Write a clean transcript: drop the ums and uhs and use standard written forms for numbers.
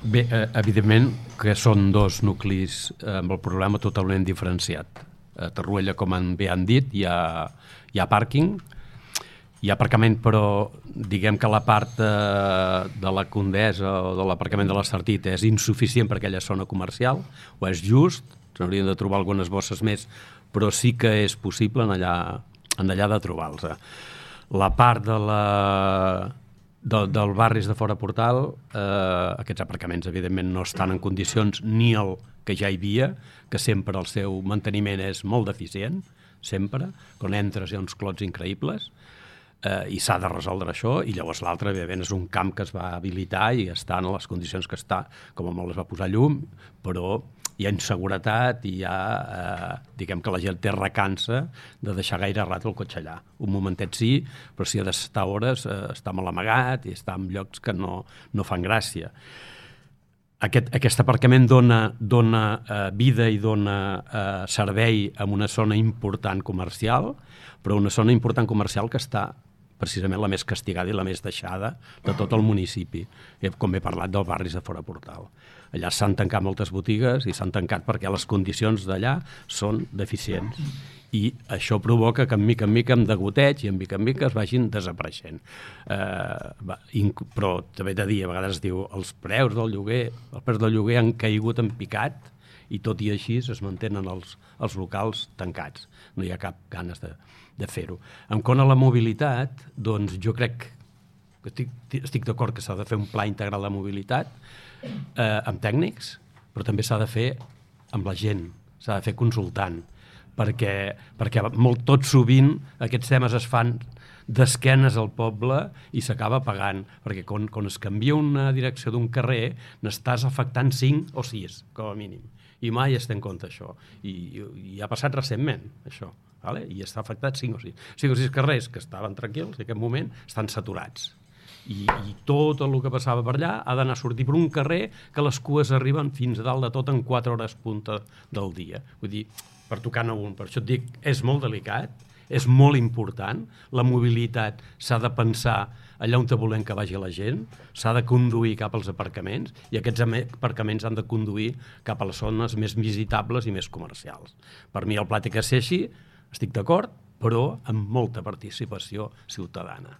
Bé, evidentment que són dos nuclis amb el problema totalment diferenciat. A Torroella, com bé han dit, hi ha pàrquing, hi ha aparcament, però diguem que la part de la Condesa o de l'aparcament de l'Estartit és insuficient per aquella zona comercial, o és just, s'haurien de trobar algunes bosses més, però sí que és possible en allà de trobar-los. La part del barris de fora Portal, aquests aparcaments evidentment no estan en condicions ni el que ja hi havia, que sempre el seu manteniment és molt deficient, sempre, quan entres hi ha uns clots increïbles, i s'ha de resoldre això, i llavors l'altre, evidentment, és un camp que es va habilitar i està en les condicions que està, com a molt es va posar llum, però hi ha inseguretat i hi ha, diguem que la gent té recança de deixar gaire rato el cotxe allà. Un momentet sí, però si ha d'estar hores, està molt amagat i està en llocs que no fan gràcia. Aquest aparcament dona vida i dona servei a una zona important comercial, però una zona important comercial que està precisament la més castigada i la més deixada de tot el municipi, com he parlat dels barris de fora Portal. Allà s'han tancat moltes botigues i s'han tancat perquè les condicions d'allà són deficients. I això provoca que en mica amb degoteig i en mica es vagin desapareixent. Però també he de dir, a vegades es diu, els preus del lloguer han caigut en picat i tot i així es mantenen els locals tancats. No hi ha cap ganes de fer-ho. En quant a la mobilitat, doncs jo crec que estic d'acord que s'ha de fer un pla integral de mobilitat amb tècnics, però també s'ha de fer amb la gent, s'ha de fer consultant, perquè tot sovint aquests temes es fan d'esquenes al poble i s'acaba pagant, perquè quan es canvia una direcció d'un carrer n'estàs afectant 5 o 6, com a mínim, i mai es té en compte això, i ha passat recentment això, i està afectat 5 o 6 carrers que estaven tranquils en aquest moment estan saturats, i tot el que passava per allà ha d'anar a sortir per un carrer que les cues arriben fins a dalt de tot en 4 hores punta del dia, vull dir, per tocar-ne un. Per això et dic, és molt delicat, és molt important, la mobilitat s'ha de pensar allà on volem que vagi la gent, s'ha de conduir cap als aparcaments i aquests aparcaments han de conduir cap a les zones més visitables i més comercials. Per mi el pla té que ser així, estic d'acord, però amb molta participació ciutadana.